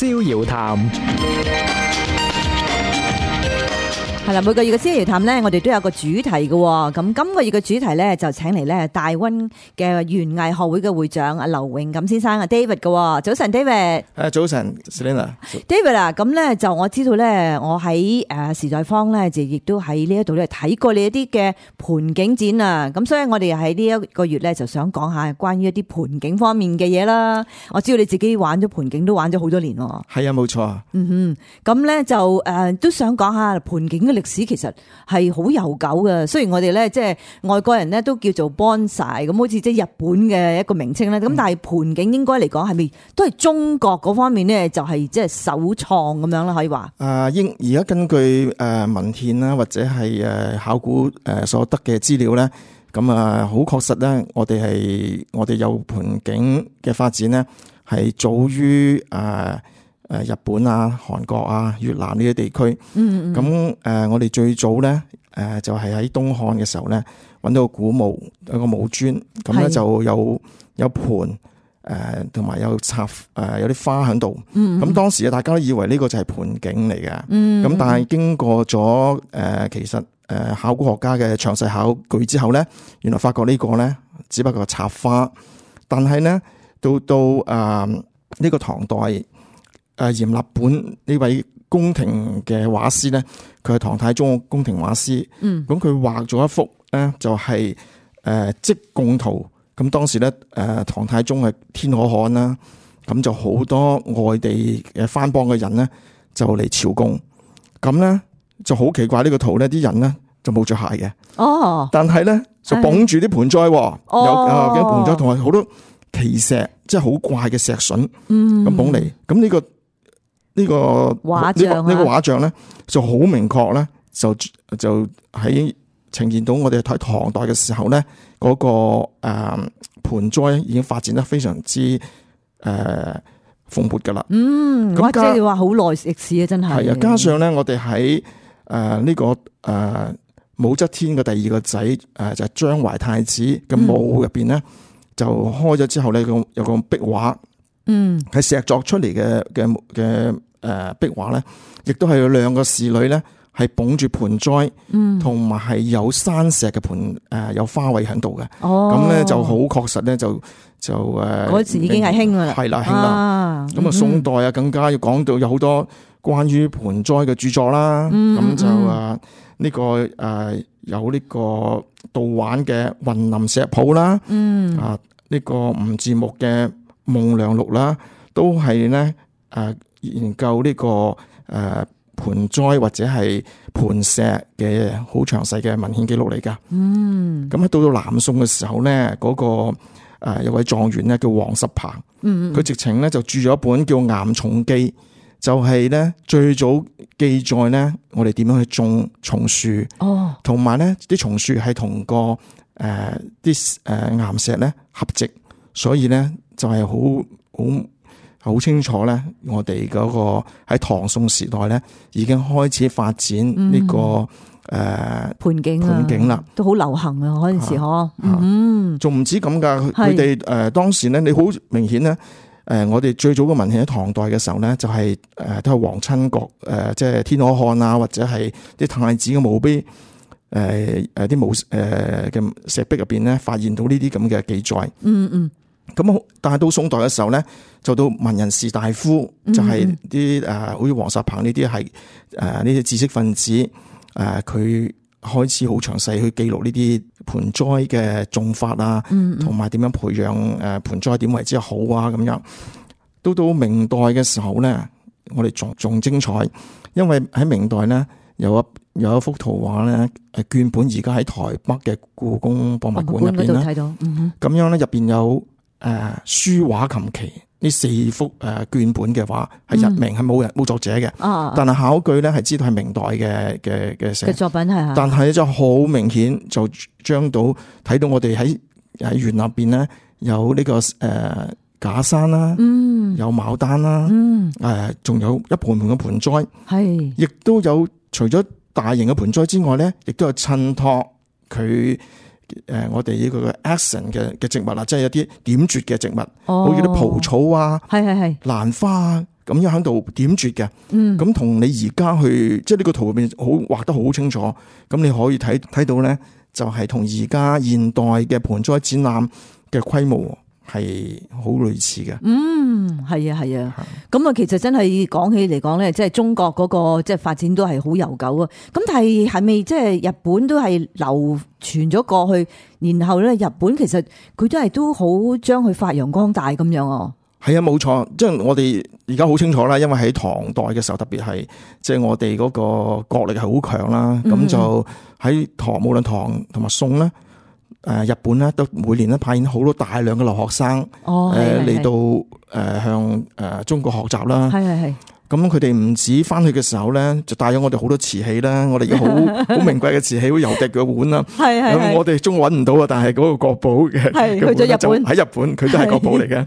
逍遙談。係啦，每個月嘅逍遙談咧，我哋都有個主題嘅。咁今個月嘅主題咧，就請嚟咧大溫嘅園藝學會嘅會長阿劉永錦先生啊 David 嘅。早晨 David。早晨 Selina。David 啊，咁咧就我知道咧，我喺時代坊咧就亦都喺呢一度咧睇過你一啲嘅盆景展啊。咁所以我哋喺呢一個月咧就想講下關於一啲盆景方面嘅嘢啦。我知道你自己玩咗盆景都玩咗好多年喎。係啊，冇錯。咁咧就都想講下盆景嘅歷史其實係好悠久嘅，雖然我哋咧即係外國人咧都叫做 bonsai 咁，好似即係日本嘅一個名稱咧。咁但係盆景應該嚟講係咪都係中國嗰方面咧，就係即係首創咁樣啦，可以話。而家根據文獻啦，或者係考古所得嘅資料咧，咁好確實咧，我哋有盆景嘅發展咧，係早於日本啊、韓國啊、越南呢啲地區，咁我哋最早咧就係喺東漢嘅時候咧，揾到個古墓，有個墓磚，咁咧就有盆同埋有插有啲花喺度，咁當時大家都以為呢個就係盆景嚟嘅，咁但係經過咗其實考古學家嘅詳細考據之後咧，原來發覺呢個咧只不過係插花，但係咧到呢個唐代。閻立本呢位宮廷嘅畫師咧，佢係唐太宗嘅宮廷畫師。咁佢畫咗一幅咧，就係積貢圖。咁當時咧，唐太宗係天可汗啦，咁就好多外地嘅番邦嘅人咧，就嚟朝貢。咁咧就好奇怪呢個圖咧，啲人咧就冇着鞋嘅。哦，但係咧就捧住啲盆栽，有幾盆栽同埋好多奇石，即係好怪嘅石筍咁捧嚟。咁呢個畫像咧就好明確咧，就喺呈現到我哋睇唐代嘅時候咧，嗰個盆栽已經發展得非常之蓬勃噶啦。咁即係話好耐歷史啊，真係。係啊，加上咧，我哋喺呢個武則天嘅第二個仔就係張懷太子嘅墓入邊咧，就開咗之後咧，有個壁畫。係石作出嚟嘅壁畫咧，亦都係有兩個侍女咧，係捧住盆栽，同埋係有山石嘅盆有花卉喺度嘅。咁咧就好確實咧，就嗰時已經係興噶啦，係啦，興啦。咁宋代啊，更加要講到有好多關於盆栽嘅著作啦。咁就呢個有呢個杜玩嘅《雲林石譜》啦，呢個吳字木嘅夢良錄啦，都係咧研究呢個盆栽或者係盆石嘅好詳細嘅文獻記錄嚟噶。咁喺到南宋嘅時候咧，嗰個有位狀元咧叫黃十鵬，佢直情咧就著咗一本叫《岩松記》，就係咧最早記載咧我哋點樣去種松樹，同埋咧啲松樹係同個啲岩石咧合植，所以咧就係好清楚咧，我哋嗰個喺唐宋時代咧已經開始發展呢個盆景啦，都好流行啊嗰陣時嗬。仲唔止咁噶，佢哋當時咧，你好明顯咧，我哋最早嘅文獻喺唐代嘅時候咧，就係都係皇親國即係天可汗啊，或者係啲太子嘅墓碑啲墓嘅石壁入邊咧，發現到呢啲咁嘅記載。咁但係到宋代嘅時候咧，就到文人士大夫，就係啲好似黃十鵬呢啲係呢啲知識分子，佢開始好詳細去記錄呢啲盆栽嘅種法啊，同埋點樣培養盆栽點為之好啊咁樣。到明代嘅時候咧，我哋仲精彩，因為喺明代咧有一幅圖畫咧，絹本而家喺台北嘅故宮博物館入邊啦，咁樣咧入邊有書畫琴棋呢4幅絹本嘅畫，係日明，係冇作者嘅，但係考據咧係知道係明代嘅作品係，但係就好明顯就將到睇到我哋喺園入邊咧有呢個假山啦，有牡丹啦，仲有一盆盆嘅盆栽，係，亦都有除咗大型嘅盆栽之外咧，亦都有襯托佢。我哋呢個 accent 嘅植物啦，即係有啲點綴嘅植物，好似啲蒲草啊、蘭花啊，咁樣喺度點綴嘅。咁同你而家去即係呢個圖入面好畫得好清楚，咁你可以睇到咧，就係同而家現代嘅盆栽展覽嘅規模係好類似嘅。係啊。咁啊，其實真係講起嚟講咧，即係中國嗰個即係發展都係好悠久啊。咁但係咪即係日本都係流傳咗過去，然後咧日本其實佢都好將佢發揚光大咁樣啊？係啊，冇錯，即係我哋而家好清楚啦，因為喺唐代嘅時候，特別係即係我哋嗰個國力係好強啦，咁就喺無論唐同埋宋咧，日本咧都每年咧派遣好多大量嘅留學生嚟到向中國學習啦。係。咁佢哋唔止翻去嘅時候咧，就帶咗我哋好多瓷器啦，我哋有好名貴嘅瓷器，好油滴嘅碗啦。咁我哋中國揾唔到啊，但係嗰個國寶嘅去咗日本，喺日本佢都係國寶嚟嘅。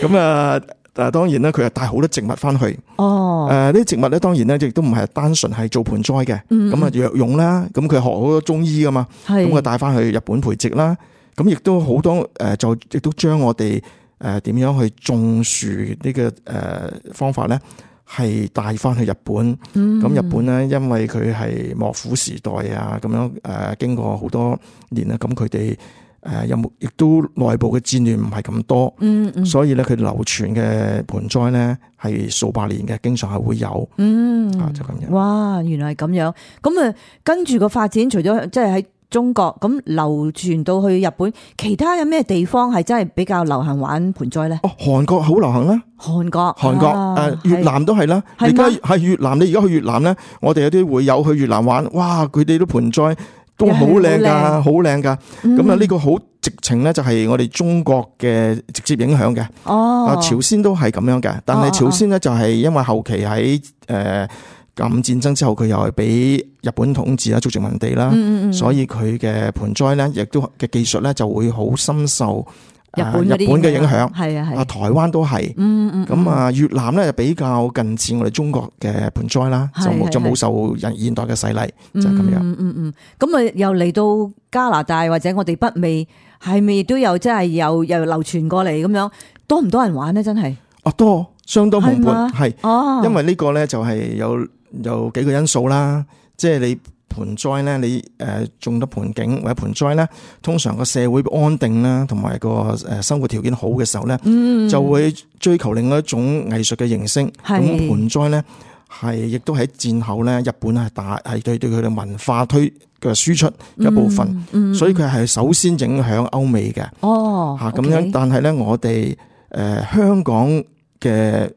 咁當然啦，佢係帶好多植物翻去。呢啲植物咧，當然咧亦都唔係單純係做盆栽嘅。咁啊藥用啦，咁佢學好多中醫噶嘛。咁佢帶翻去日本培植啦。咁亦都好多就亦都將我哋點樣去種樹呢個方法咧，係帶翻去日本。咁日本咧，因為佢係幕府時代啊，咁樣經過好多年啦，咁佢哋有冇亦都內部嘅戰亂唔係咁多，所以咧佢流傳嘅盆栽咧係數百年嘅，經常係會有，就咁樣。哇，原來係咁樣。咁啊，跟住個發展，除咗即係喺中國咁流傳到去日本，其他有咩地方係真係比較流行玩盆栽咧？韓國好流行啦。韓國越南都係啦。而家係越南，你而家去越南咧，我哋有啲會友去越南玩，哇！佢哋啲盆栽都好靚噶，好靚噶。咁啊，呢個好直情咧，就係我哋中國嘅直接影響嘅。朝鮮都係咁樣嘅，但係朝鮮咧就係因為後期喺甲午戰爭之後，佢又係俾日本統治啦，做殖民地啦，所以佢嘅盆栽咧，亦都嘅技術咧就會好深受日本嘅影響。係台灣都係。咁越南咧就比較近似我哋中國嘅盆栽啦，就冇受現代嘅洗禮，就係咁樣。咁啊，又嚟到加拿大或者我哋北美，係咪都有真係又流傳過嚟咁樣？多唔多人玩咧？真係多，相當蓬勃，係。因為呢個咧就係有幾個因素啦，即係你盆栽咧，你種得盆景或者盆栽咧，通常個社會安定啦，同埋個生活條件好嘅時候咧，就會追求另外一種藝術嘅形式。咁盆栽咧係亦都喺戰後咧，日本係對佢嘅文化嘅輸出一部分，所以佢係首先影響歐美嘅。咁樣，但係咧我哋香港嘅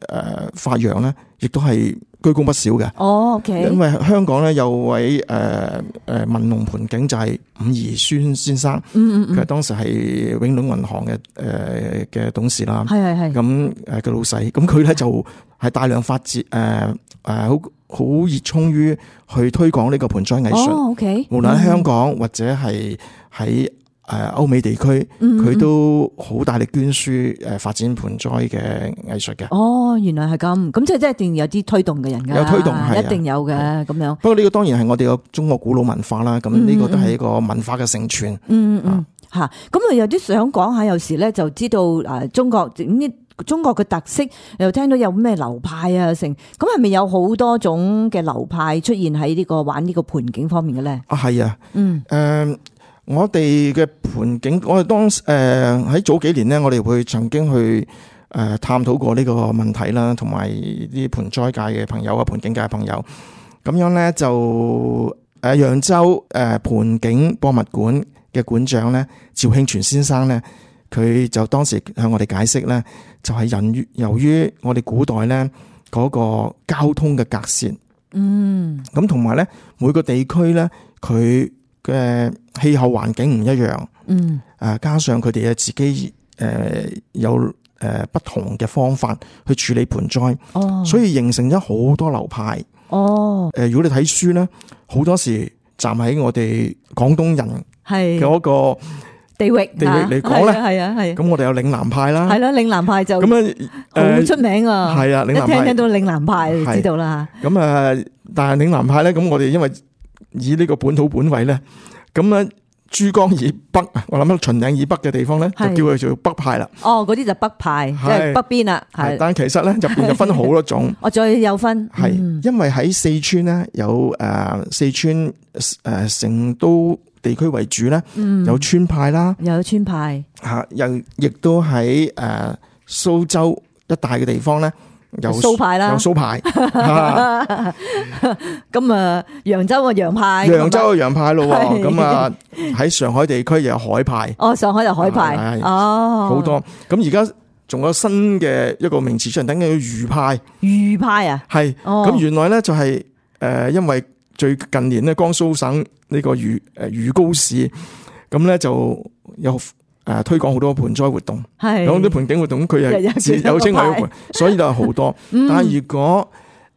發揚咧，亦都係居功不少嘅。因為香港咧有位文龍盆景就係伍宜孫先生，佢係當時係永隆銀行嘅董事啦。咁嘅老細，咁佢咧就係大量發展好熱衷於去推廣呢個盆栽藝術。無論喺香港或者係喺歐美地區，佢都好大力捐輸發展盆栽嘅藝術嘅。原來係咁，即係一定有啲推動嘅人㗎。有推動係一定有嘅咁樣。不過呢個當然係我哋個中國古老文化啦，咁呢個都係一個文化嘅承傳。咁啊有啲想講下，有時咧就知道中國嘅特色，又聽到有咩流派啊成，咁係咪有好多種嘅流派出現喺呢個玩呢個盆景方面嘅咧？係啊，我哋嘅盆景，我哋當喺早幾年咧，我哋會曾經去探討過呢個問題啦，同埋啲盆栽界嘅朋友啊，盆景界嘅朋友，咁樣咧就揚州盆景博物館嘅館長咧趙慶全先生咧，佢就當時向我哋解釋咧，就係由於我哋古代咧嗰個交通嘅隔涉，咁同埋咧每個地區咧佢嘅氣候環境唔一樣，加上佢哋嘅自己有不同嘅方法去處理盆栽，所以形成咗好多流派。如果你睇書咧，好多時站喺我哋廣東人嘅嗰個地域嚟講咧，咁我哋有嶺南派啦，嶺南派就咁好出名啊，係啊，一聽到嶺南派就知道啦。咁但係嶺南派咧，咁我哋因為以呢個本土本位咧，咁珠江以北，我諗到秦嶺以北嘅地方咧，就係叫佢做北派啦。哦，嗰啲就北派，即係北邊啦，係。但其實咧入邊就分好多種。我再有分，係因為喺四川咧有四川成都地區為主咧，有川派啦，又有川派嚇，又亦都喺蘇州一帶嘅地方咧。有蘇派啦，有蘇派，咁啊，揚州嘅洋派，揚州嘅洋派咯，係咁啊喺上海地區又有海派，哦，上海有海派，哦，好多。咁而家仲有新嘅一個名詞出嚟，等緊叫渝派，渝派啊，係，咁原來咧就係因為最近年咧江蘇省呢個渝高市，咁咧就有。推廣好多盆栽活動，係咁啲盆景活動，佢係有稱為盆，所以就係好多。但係如果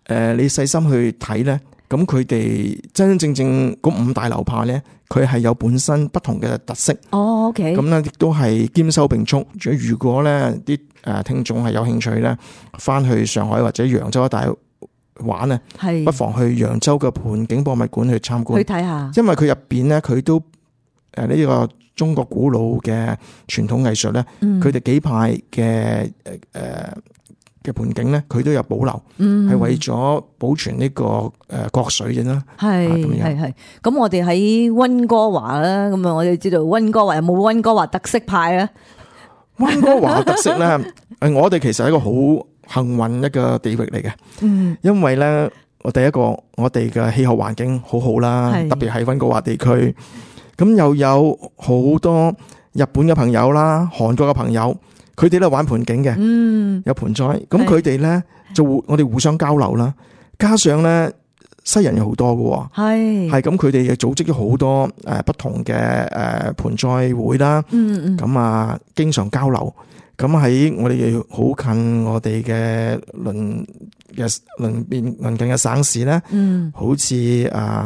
你細心去睇咧，咁佢哋真真正正嗰五大流派咧，佢係有本身不同嘅特色。哦 ，OK，咁咧亦都係兼收並蓄。如果咧啲聽眾係有興趣咧，翻去上海或者揚州一帶玩咧，不妨去揚州嘅盆景博物館去參觀，去睇下。因為佢入邊咧，佢都呢個中國古老嘅傳統藝術咧，佢哋幾派嘅盆景咧，佢都有保留，係為咗保存呢個國粹嘅啦。係。咁我哋喺溫哥華啦，咁啊，我哋知道溫哥華有冇溫哥華特色派啊？溫哥華特色咧，我哋其實係一個好幸運一個地域嚟嘅，因為咧，第一個我哋嘅氣候環境好好啦，特別係溫哥華地區。咁又有好多日本嘅朋友啦，韓國嘅朋友，佢哋都玩盆景嘅，有盆栽。咁佢哋咧就我哋互相交流啦。加上咧西人有好多嘅，係咁佢哋又組織咗好多不同嘅盆栽會啦。咁啊，經常交流。咁喺我哋好近我哋嘅鄰近嘅省市咧，好似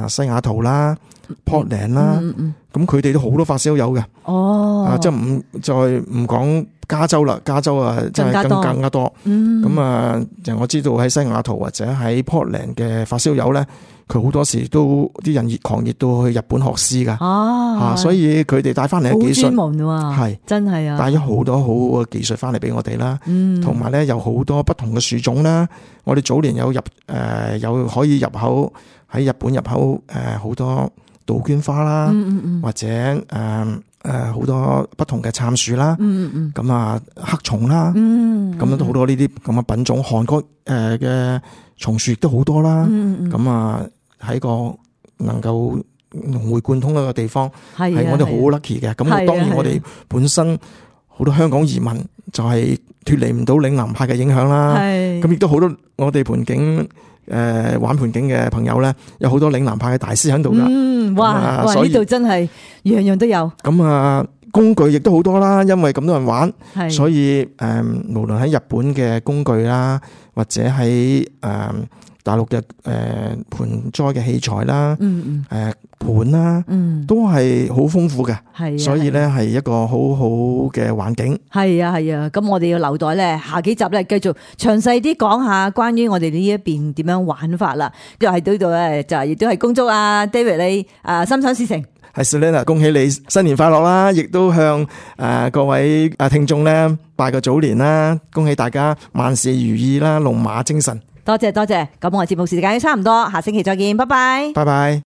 西雅圖啦、Portland 啦，咁佢哋都好多發燒友嘅。哦，即係再唔講加州啦，加州啊真係更加多。咁啊，就我知道喺西雅圖或者喺 Portland 嘅發燒友咧，佢好多時都啲人狂熱到去日本學師噶。所以佢哋帶翻嚟嘅技術好專門喎，係真係啊，帶咗好多好嘅技術翻嚟俾我哋啦。同埋咧有好多不同嘅樹種啦。我哋早年有有可以入口喺日本入口好多杜鵑花啦，或者好多不同嘅杉樹啦，咁啊黑松啦，咁樣都好多呢啲咁嘅品種。韓國嘅松樹亦都好多啦，咁啊喺個能夠融會貫通一個地方，係我哋好 lucky 嘅。咁當然我哋本身好多香港移民就係脫離唔到嶺南派嘅影響啦。咁亦都好多我哋盆景玩盆景嘅朋友咧，有好多嶺南派嘅大師喺度噶。哇！呢度真係樣樣都有。咁啊，工具亦都好多啦，因為咁多人玩，所以無論喺日本嘅工具啦，或者喺大陸嘅盆栽嘅器材啦，盤啦，都係好豐富嘅，所以咧係一個好好嘅環境。係啊，咁我哋要留待咧下幾集咧繼續詳細啲講下關於我哋呢一邊點樣玩法啦。又喺呢度咧就亦都係恭祝啊 David 你心想事成。係 Selena， 恭喜你新年快樂啦！亦都向各位聽眾咧拜個早年啦，恭喜大家萬事如意啦，龍馬精神。多謝。咁我節目時間差唔多，下星期再見，拜拜。拜拜。